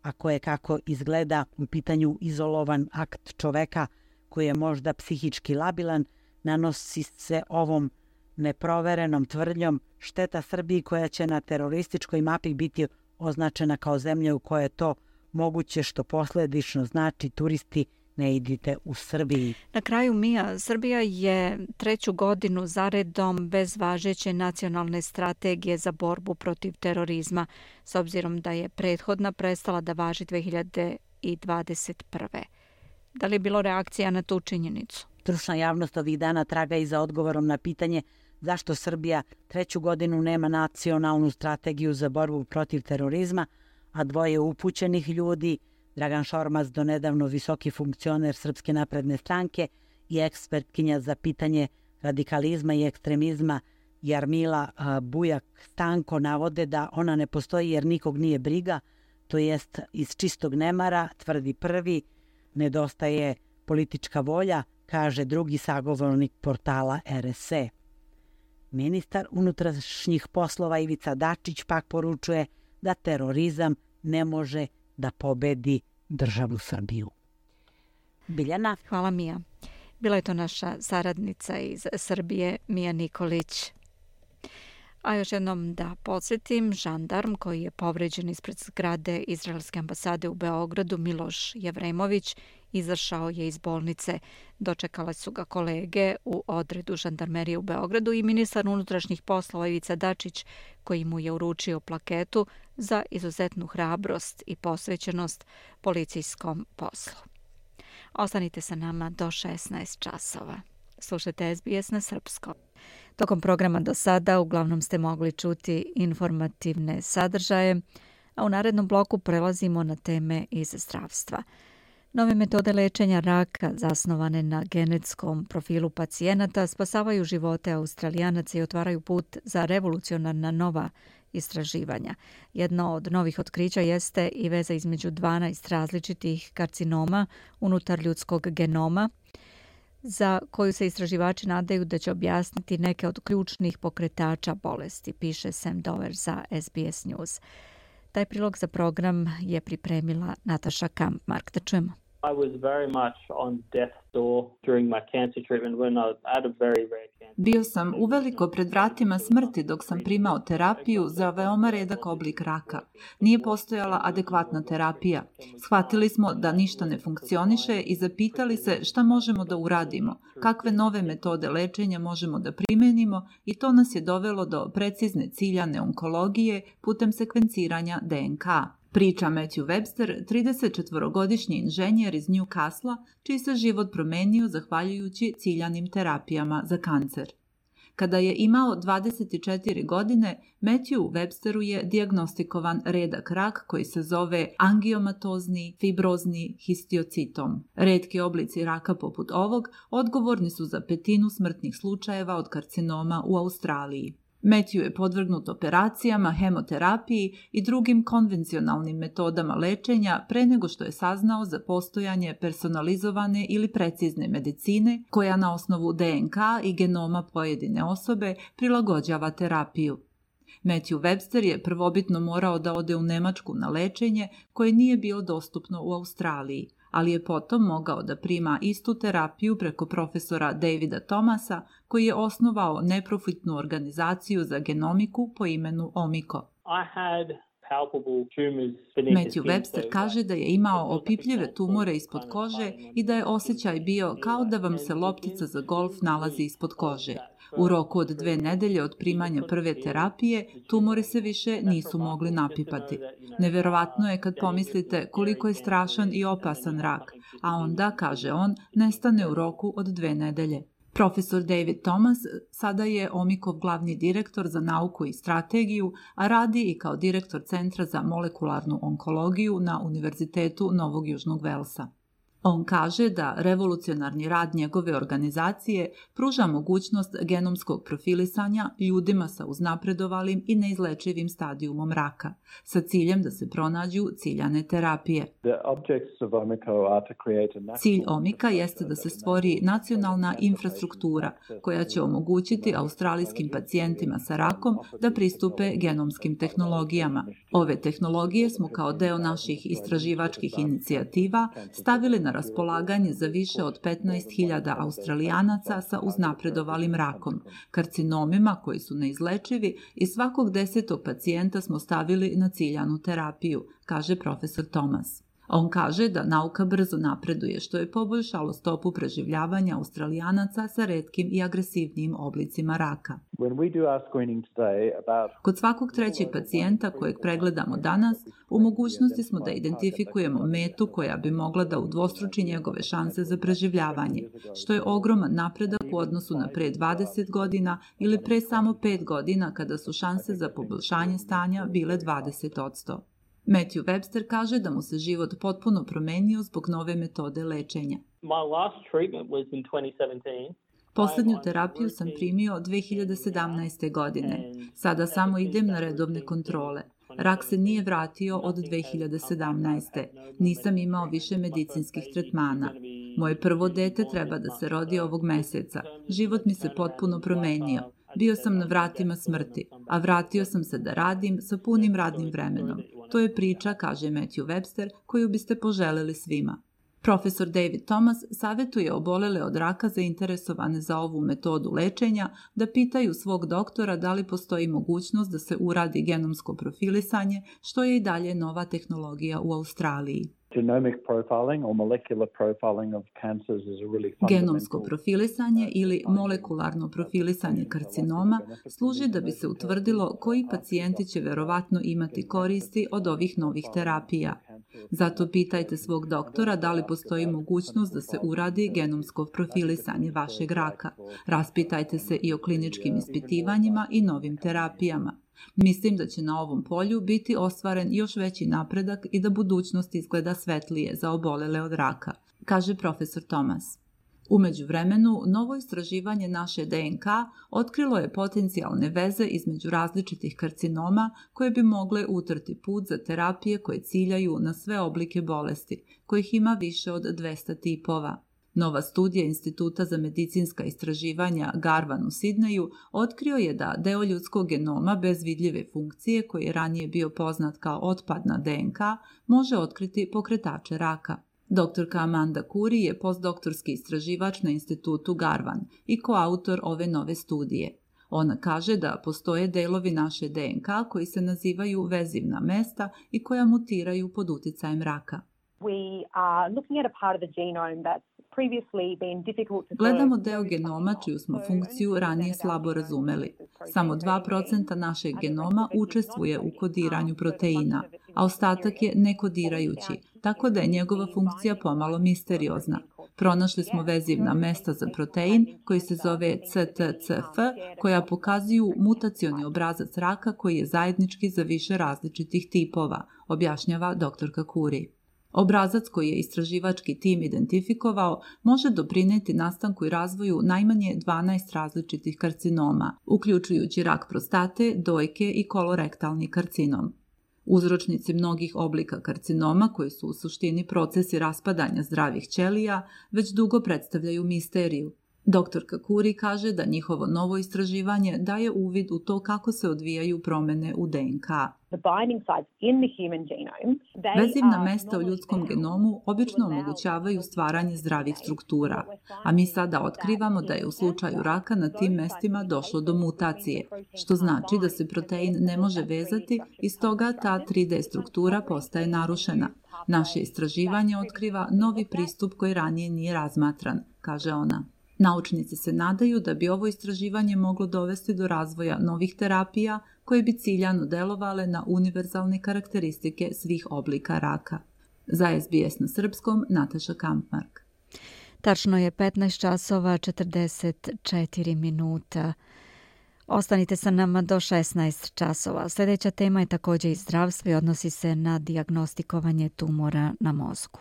Ako je, kako izgleda, u pitanju izolovan akt čoveka koji je možda psihički labilan, nanosi se ovom neproverenom tvrdnjom šteta Srbiji, koja će na terorističkoj mapi biti označena kao zemlja u kojoj je to moguće, što posledično znači turisti ne idite u Srbiji. Na kraju, Mija, Srbija je 3. godinu zaredom bez važeće nacionalne strategije za borbu protiv terorizma, s obzirom da je prethodna prestala da važi 2021. Da li je bilo reakcija na tu činjenicu? Stručna javnost ovih dana traga i za odgovorom na pitanje zašto Srbija 3. godinu nema nacionalnu strategiju za borbu protiv terorizma, a dvoje upućenih ljudi, Dragan Šormaz, donedavno visoki funkcioner Srpske napredne stranke i ekspertkinja za pitanje radikalizma i ekstremizma Jarmila Bujak Stanko, navode da ona ne postoji jer nikog nije briga, to jest iz čistog nemara, tvrdi prvi, nedostaje politička volja, kaže drugi sagovornik portala RSE. Ministar unutrašnjih poslova Ivica Dačić pak poručuje da terorizam ne može da pobedi državu Srbiju. Biljana. Hvala, Mija. Bila je to naša saradnica iz Srbije, Mija Nikolić. A još jednom da podsjetim, žandarm koji je povređen ispred zgrade Izraelske ambasade u Beogradu, Miloš Jevremović, izašao je iz bolnice. Dočekale su ga kolege u odredu žandarmerije u Beogradu i ministar unutrašnjih poslova Ivica Dačić, koji mu je uručio plaketu za izuzetnu hrabrost i posvećenost policijskom poslu. Ostanite sa nama do 16 časova. Slušajte SBS na srpskom. Tokom programa do sada uglavnom ste mogli čuti informativne sadržaje, a u narednom bloku prelazimo na teme iz zdravstva. Nove metode lečenja raka zasnovane na genetskom profilu pacijenata spasavaju živote Australijanaca i otvaraju put za revolucionarna nova istraživanja. Jedno od novih otkrića jeste i veza između 12 različitih karcinoma unutar ljudskog genoma, za koju se istraživači nadaju da će objasniti neke od ključnih pokretača bolesti, piše Sam Dover za SBS News. Taj prilog za program je pripremila Nataša Kampmark. Da čujemo. I was very much on death's door during my cancer treatment when I was at a very rare cancer. Bio sam uveliko pred vratima smrti dok sam primao terapiju za veoma redak oblik raka. Nije postojala adekvatna terapija. Shvatili smo da ništa ne funkcioniše i zapitali se šta možemo da uradimo, kakve nove metode lečenja možemo da primenimo i to nas je dovelo do precizne ciljane onkologije putem sekvenciranja DNK. Priča Matthew Webster, 34-godišnji inženjer iz Newcastle, čiji se život promenio zahvaljujući ciljanim terapijama za kancer. Kada je imao 24 godine, Matthew Websteru je dijagnostikovan redak rak koji se zove angiomatozni fibrozni histiocitom. Retki oblici raka poput ovog odgovorni su za 1/5 smrtnih slučajeva od karcinoma u Australiji. Matthew je podvrgnut operacijama, hemoterapiji i drugim konvencionalnim metodama lečenja pre nego što je saznao za postojanje personalizovane ili precizne medicine koja na osnovu DNK i genoma pojedine osobe prilagođava terapiju. Matthew Webster je prvobitno morao da ode u Nemačku na lečenje koje nije bilo dostupno u Australiji, ali je potom mogao da prima istu terapiju preko profesora Davida Thomasa, koji je osnovao neprofitnu organizaciju za genomiku po imenu Omiko. Matthew Webster kaže da je imao opipljive tumore ispod kože i da je osjećaj bio kao da vam se loptica za golf nalazi ispod kože. U roku od 2 nedelje od primanja prve terapije, tumori se više nisu mogli napipati. Neverovatno je kad pomislite koliko je strašan i opasan rak, a onda, kaže on, nestane u roku od 2 nedelje. Profesor David Thomas sada je Omikov glavni direktor za nauku i strategiju, a radi i kao direktor Centra za molekularnu onkologiju na Univerzitetu Novog Južnog Velsa. On kaže da revolucionarni rad njegove organizacije pruža mogućnost genomskog profilisanja ljudima sa uznapredovalim i neizlečivim stadijumom raka, sa ciljem da se pronađu ciljane terapije. Cilj Omika jeste da se stvori nacionalna infrastruktura koja će omogućiti australijskim pacijentima sa rakom da pristupe genomskim tehnologijama. Ove tehnologije smo kao deo naših istraživačkih inicijativa stavili na raspolaganje za više od 15.000 Australijanaca sa uznapredovalim rakom, karcinomima koji su neizlečivi i svakog 10. pacijenta smo stavili na ciljanu terapiju, kaže profesor Thomas. On kaže da nauka brzo napreduje, što je poboljšalo stopu preživljavanja Australijanaca sa retkim i agresivnijim oblicima raka. Kod svakog 3. pacijenta kojeg pregledamo danas, u mogućnosti smo da identifikujemo metu koja bi mogla da udvostruči njegove šanse za preživljavanje, što je ogroman napredak u odnosu na pre 20 godina ili pre samo 5 godina kada su šanse za poboljšanje stanja bile 20%. Matthew Webster kaže da mu se život potpuno promenio zbog nove metode lečenja. Poslednju terapiju sam primio 2017. godine. Sada samo idem na redovne kontrole. Rak se nije vratio od 2017. Nisam imao više medicinskih tretmana. Moje prvo dete treba da se rodi ovog meseca. Život mi se potpuno promenio. Bio sam na vratima smrti, a vratio sam se da radim sa punim radnim vremenom. To je priča, kaže Matthew Webster, koju biste poželeli svima. Profesor David Thomas savjetuje obolele od raka zainteresovane za ovu metodu lečenja da pitaju svog doktora da li postoji mogućnost da se uradi genomsko profilisanje, što je i dalje nova tehnologija u Australiji. Genomsko profilisanje ili molekularno profilisanje karcinoma služi da bi se utvrdilo koji pacijenti će verovatno imati koristi od ovih novih terapija. Zato pitajte svog doktora da li postoji mogućnost da se uradi genomsko profilisanje vašeg raka. Raspitajte se i o kliničkim ispitivanjima i novim terapijama. Mislim da će na ovom polju biti ostvaren još veći napredak i da budućnost izgleda svetlije za obolele od raka, kaže profesor Thomas. U međuvremenu, novo istraživanje naše DNK otkrilo je potencijalne veze između različitih karcinoma koje bi mogle utrti put za terapije koje ciljaju na sve oblike bolesti, kojih ima više od 200 tipova. Nova studija Instituta za medicinska istraživanja Garvan u Sidneju otkrio je da deo ljudskog genoma bez vidljive funkcije, koji je ranije bio poznat kao otpadna DNK, može otkriti pokretače raka. Doktorka Amanda Curry je postdoktorski istraživač na Institutu Garvan i koautor ove nove studije. Ona kaže da postoje delovi naše DNK koji se nazivaju vezivna mesta i koja mutiraju pod uticajem raka. Gledamo deo genoma čiju smo funkciju ranije slabo razumeli. Samo 2% našeg genoma učestvuje u kodiranju proteina, a ostatak je nekodirajući, tako da je njegova funkcija pomalo misteriozna. Pronašli smo vezivna mesta za protein koji se zove CTCF, koja pokazuju mutacioni obrazac raka koji je zajednički za više različitih tipova, objašnjava doktorka Curry. Obrazac koji je istraživački tim identifikovao može doprineti nastanku i razvoju najmanje 12 različitih karcinoma, uključujući rak prostate, dojke i kolorektalni karcinom. Uzročnici mnogih oblika karcinoma, koji su u suštini procesi raspadanja zdravih ćelija, već dugo predstavljaju misteriju. Doktorka Curry kaže da njihovo novo istraživanje daje uvid u to kako se odvijaju promene u DNK. Vezivna mesta u ljudskom genomu obično omogućavaju stvaranje zdravih struktura, a mi sada otkrivamo da je u slučaju raka na tim mestima došlo do mutacije, što znači da se protein ne može vezati i stoga ta 3D struktura postaje narušena. Naše istraživanje otkriva novi pristup koji ranije nije razmatran, kaže ona. Naučnici se nadaju da bi ovo istraživanje moglo dovesti do razvoja novih terapija koje bi ciljano delovale na univerzalne karakteristike svih oblika raka. Za SBS na srpskom, Nataša Kampmark. Tačno je 15 časova 44 minuta. Ostanite sa nama do 16 časova. Sljedeća tema je također i zdravstvo i odnosi se na dijagnostikovanje tumora na mozgu.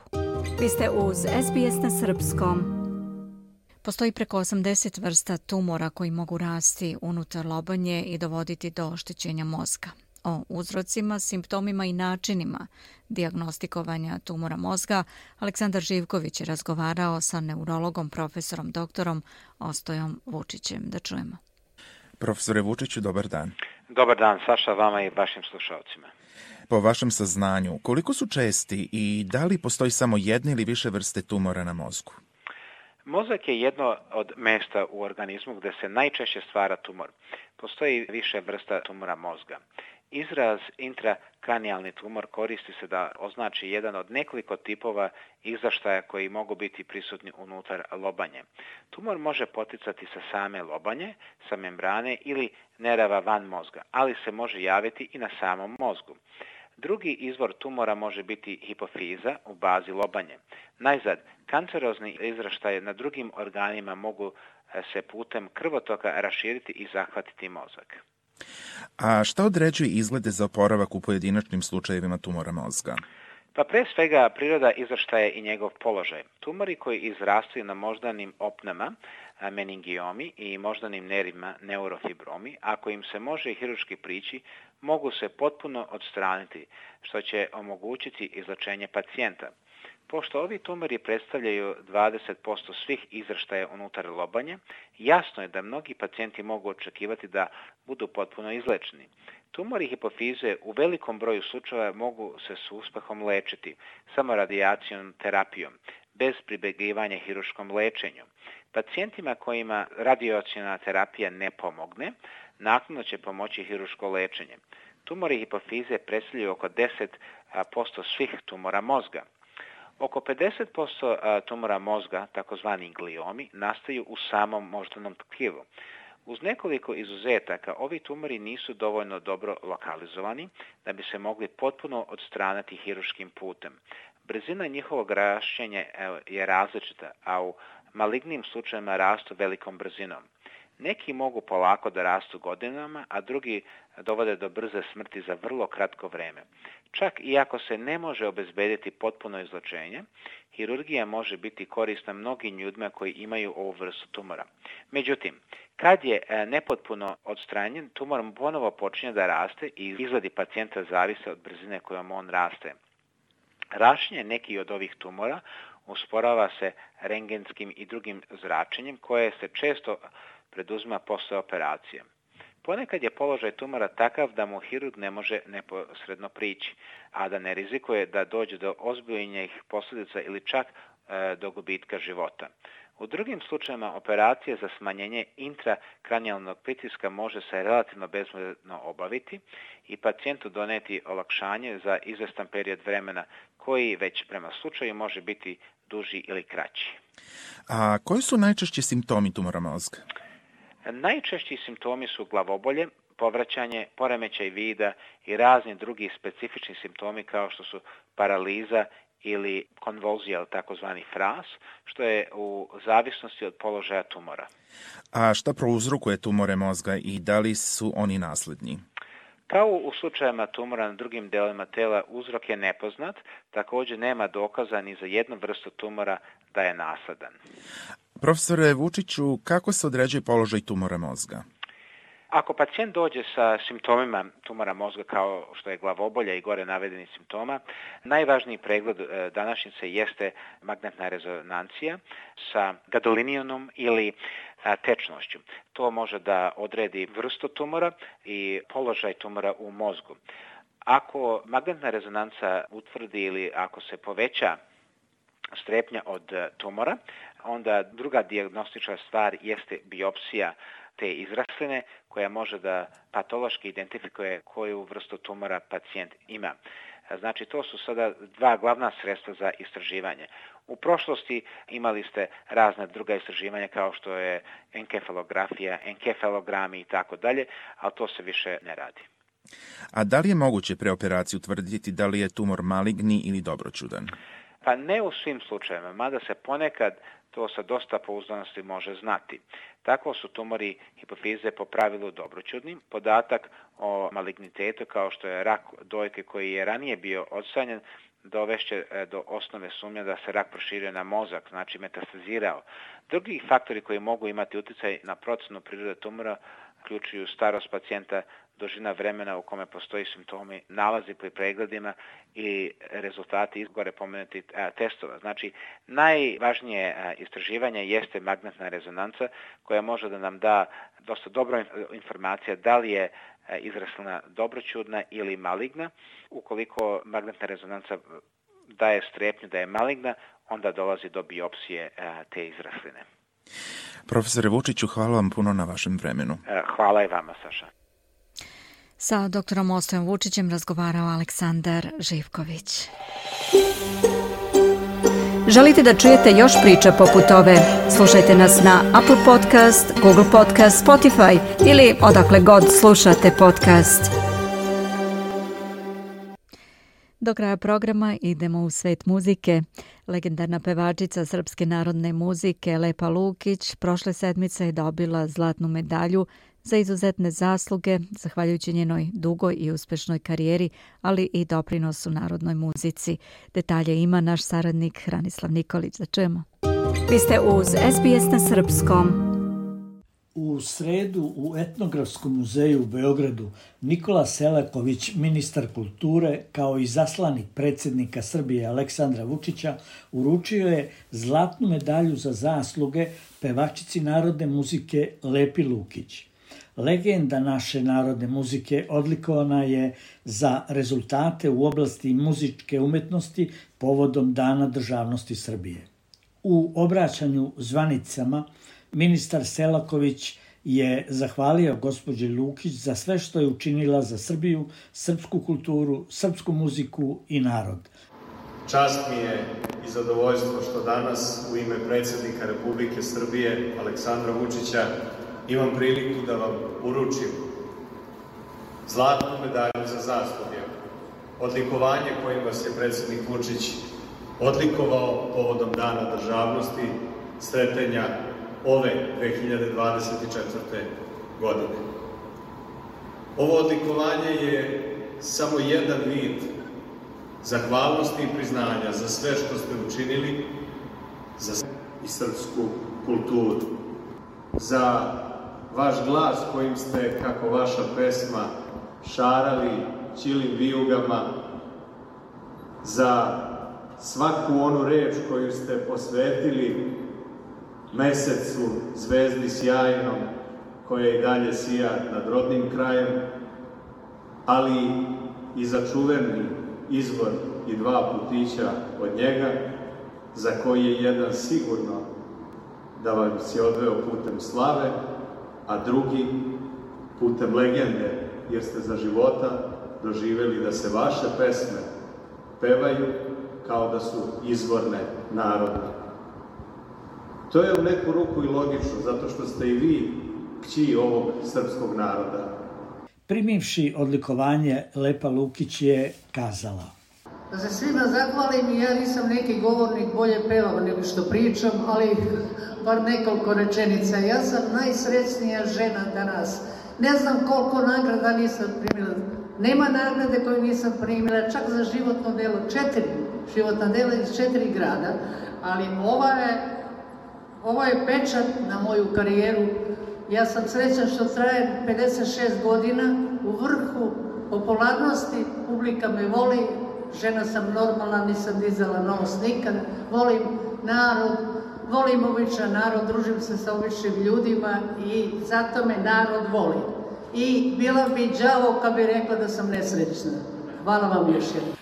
Vi ste uz SBS na srpskom. Postoji preko 80 vrsta tumora koji mogu rasti unutar lobanje i dovoditi do oštećenja mozga. O uzrocima, simptomima i načinima dijagnostikovanja tumora mozga Aleksandar Živković je razgovarao sa neurologom, profesorom doktorom Ostojom Vučićem. Da čujemo. Profesore Vučiću, dobar dan. Dobar dan, Saša, vama i vašim slušalcima. Po vašem saznanju, koliko su česti i da li postoji samo jedne ili više vrste tumora na mozgu? Mozak je jedno od mesta u organizmu gdje se najčešće stvara tumor. Postoji više vrsta tumora mozga. Izraz intrakranijalni tumor koristi se da označi jedan od nekoliko tipova izraštaja koji mogu biti prisutni unutar lobanje. Tumor može poticati sa same lobanje, sa membrane ili nerava van mozga, ali se može javiti i na samom mozgu. Drugi izvor tumora može biti hipofiza u bazi lobanje. Najzad, kancerozni izraštaje na drugim organima mogu se putem krvotoka raširiti i zahvatiti mozak. A šta određuje izglede za oporavak u pojedinačnim slučajevima tumora mozga? Pa pre svega priroda izraštaja i njegov položaj. Tumori koji izrastaju na moždanim opnama, meningiomi i moždanim nervima, neurofibromi, ako im se može hirurški prići, mogu se potpuno odstraniti, što će omogućiti izlečenje pacijenta. Pošto ovi tumori predstavljaju 20% svih izraštaja unutar lobanje, jasno je da mnogi pacijenti mogu očekivati da budu potpuno izlečeni. Tumori hipofize u velikom broju slučajeva mogu se s uspehom lečiti, samo radijacijom terapijom, bez pribjegivanja hirurškom lečenju. Pacijentima kojima radijacijona terapija ne pomogne, naknadno će pomoći hirurško lečenje. Tumori hipofize predstavljaju oko 10% svih tumora mozga. Oko 50% tumora mozga, takozvani gliomi, nastaju u samom moždanom tkivu. Uz nekoliko izuzetaka, ovi tumori nisu dovoljno dobro lokalizovani da bi se mogli potpuno odstraniti hirurškim putem. Brzina njihovog rašćenja je različita, a u malignim slučajevima rastu velikom brzinom. Neki mogu polako da rastu godinama, a drugi dovode do brze smrti za vrlo kratko vreme. Čak i ako se ne može obezbediti potpuno izlečenje, hirurgija može biti korisna mnogim ljudima koji imaju ovu vrstu tumora. Međutim, kad je nepotpuno odstranjen, tumor ponovo počinje da raste i izgledi pacijenta zavise od brzine kojom on raste. Rašenje nekih od ovih tumora usporava se rengenskim i drugim zračenjem koje se često preduzima posle operacije. Ponekad je položaj tumora takav da mu hirurg ne može neposredno prići, a da ne rizikuje da dođe do ozbiljnih posljedica ili čak do gubitka života. U drugim slučajevima operacije za smanjenje intrakranijalnog pritiska može se relativno bezbolno obaviti i pacijentu doneti olakšanje za izvestan period vremena koji već prema slučaju može biti duži ili kraći. A koji su najčešći simptomi tumora mozga? Najčešći simptomi su glavobolje, povraćanje, poremećaj vida i razni drugi specifični simptomi kao što su paraliza ili konvulzija, takozvani fras, što je u zavisnosti od položaja tumora. A šta prouzrokuje tumore mozga i da li su oni nasledni? Kao u slučajevima tumora na drugim delovima tela, uzrok je nepoznat, također nema dokaza ni za jednu vrstu tumora da je nasledan. Profesore Vučiću, kako se određuje položaj tumora mozga? Ako pacijent dođe sa simptomima tumora mozga kao što je glavobolja i gore navedeni simptoma, najvažniji pregled današnjice jeste magnetna rezonancija sa gadolinijom ili tečnošću. To može da odredi vrstu tumora i položaj tumora u mozgu. Ako magnetna rezonanca utvrdi ili ako se poveća strepnja od tumora, onda druga dijagnostička stvar jeste biopsija te izrasline koja može da patološki identifikuje koju vrstu tumora pacijent ima. Znači, to su sada dva glavna sredstva za istraživanje. U prošlosti imali ste razne druga istraživanja kao što je enkefalografija, enkefalogrami i tako dalje, ali to se više ne radi. A da li je moguće pre operacije utvrditi da li je tumor maligni ili dobroćudan? Pa ne u svim slučajevima, mada se ponekad to sa dosta pouzdanosti može znati. Tako su tumori hipofize po pravilu dobroćudni. Podatak o malignitetu kao što je rak dojke koji je ranije bio odstranjen dovešće do osnove sumnje da se rak proširio na mozak, znači metastazirao. Drugi faktori koji mogu imati utjecaj na procenu prirode tumora uključuju starost pacijenta, dužina vremena u kome postoji simptomi, nalazi pri pregledima i rezultati gore pomenutih testova. Znači, najvažnije istraživanje jeste magnetna rezonanca koja može da nam da dosta dobra informacija da li je izraslina dobroćudna ili maligna. Ukoliko magnetna rezonanca daje strepnju da je maligna, onda dolazi do biopsije te izrasline. Profesore Vučiću, hvala vam puno na vašem vremenu. Hvala i vama, Saša. Sa doktorom Ostojem Vučićem razgovarao Aleksandar Živković. Želite da čujete još priča poput ove? Slušajte nas na Apple Podcast, Google Podcast, Spotify ili odakle god slušate podcast. Do kraja programa idemo u svet muzike. Legendarna pevačica srpske narodne muzike Lepa Lukić prošle sedmice je dobila zlatnu medalju za izuzetne zasluge, zahvaljujući njenoj dugoj i uspešnoj karijeri, ali i doprinosu narodnoj muzici. Detalje ima naš saradnik Hranislav Nikolić. Da čujemo. Vi ste uz SBS na srpskom. U sredu u Etnografskom muzeju u Beogradu Nikola Selaković, ministar kulture, kao i zaslanik predsjednika Srbije Aleksandra Vučića, uručio je zlatnu medalju za zasluge pevačici narodne muzike Lepi Lukić. Legenda naše narodne muzike odlikovana je za rezultate u oblasti muzičke umetnosti povodom Dana državnosti Srbije. U obraćanju zvanicama ministar Selaković je zahvalio gospođi Lukić za sve što je učinila za Srbiju, srpsku kulturu, srpsku muziku i narod. Čast mi je i zadovoljstvo što danas u ime predsjednika Republike Srbije Aleksandra Vučića imam priliku da vam uručim zlatnu medalju za zasluge, odlikovanje kojim vas je predsjednik Vučić odlikovao povodom Dana državnosti, sretenja ove 2024. godine. Ovo odlikovanje je samo jedan vid zahvalnosti i priznanja za sve što ste učinili za i srpsku kulturu, za vaš glas kojim ste, kako vaša pesma, šarali ćilim vijugama, za svaku onu reč koju ste posvetili mesecu, zvezdi sjajnom, koja i dalje sija nad rodnim krajem, ali i za čuveni izvor i 2 putića od njega, za koji je jedan sigurno da vas je odveo putem slave, a drugi putem legende, jer ste za života doživjeli da se vaše pesme pevaju kao da su izvorne narodne. To je u neku ruku i logično, zato što ste i vi kći ovog srpskog naroda. Primivši odlikovanje, Lepa Lukić je kazala: Da se svima zahvalim, i ja nisam neki govornik, bolje pevam nego što pričam, ali bar nekoliko rečenica. Ja sam najsrećnija žena danas. Ne znam koliko nagrada nisam primila. Nema nagrade koju nisam primila, čak za životno delo. 4 životna dela iz 4 grada, ali ovo je pečat na moju karijeru. Ja sam srećna što traje 56 godina, u vrhu popularnosti, publika me voli, žena sam normalna, nisam dizala nos nikad, volim narod, volim običan narod, družim se sa običnim ljudima i zato me narod voli. I bila bi đavo kad bi rekla da sam nesrećna. Hvala vam još jednom.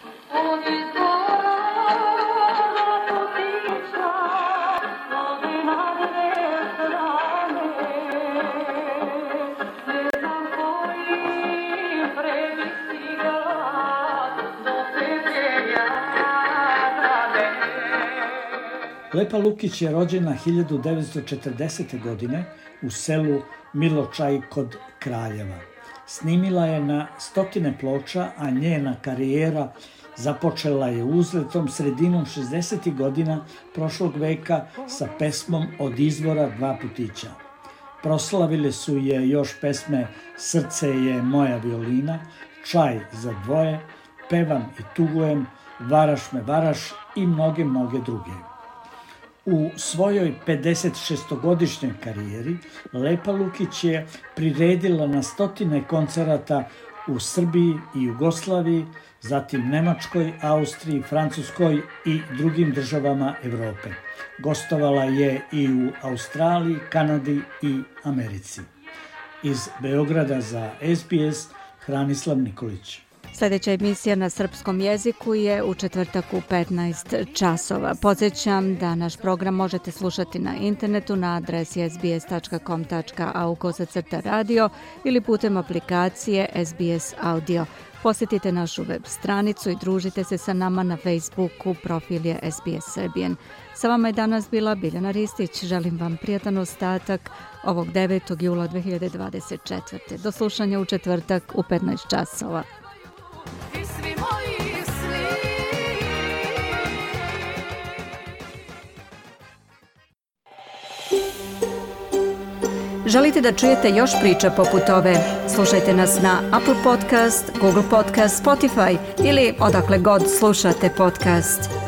Lepa Lukić je rođena 1940. godine u selu Miločaj kod Kraljeva. Snimila je na stotine ploča, a njena karijera započela je uzletom sredinom 60. godina prošlog veka sa pesmom Od izvora 2 putića. Proslavile su je još pesme Srce je moja violina, Čaj za dvoje, Pevam i tugujem, Varaš me varaš i mnoge druge. U svojoj 56-godišnjoj karijeri Lepa Lukić je priredila na stotine koncerata u Srbiji i Jugoslaviji, zatim Nemačkoj, Austriji, Francuskoj i drugim državama Evrope. Gostovala je i u Australiji, Kanadi i Americi. Iz Beograda za SBS, Hranislav Nikolić. Sljedeća emisija na srpskom jeziku je u četvrtak u 15 časova. Podsjećam da naš program možete slušati na internetu na adresi sbs.com.au/radio ili putem aplikacije SBS Audio. Posjetite našu web stranicu i družite se sa nama na Facebooku, profil je SBS Serbian. Sa vama je danas bila Biljana Ristić. Želim vam prijatan ostatak ovog 9. jula 2024. Do slušanja u četvrtak u 15 časova. Želite da čujete još priča poput ove? Slušajte nas na Apple Podcast, Google Podcast, Spotify ili odakle god slušate podcast.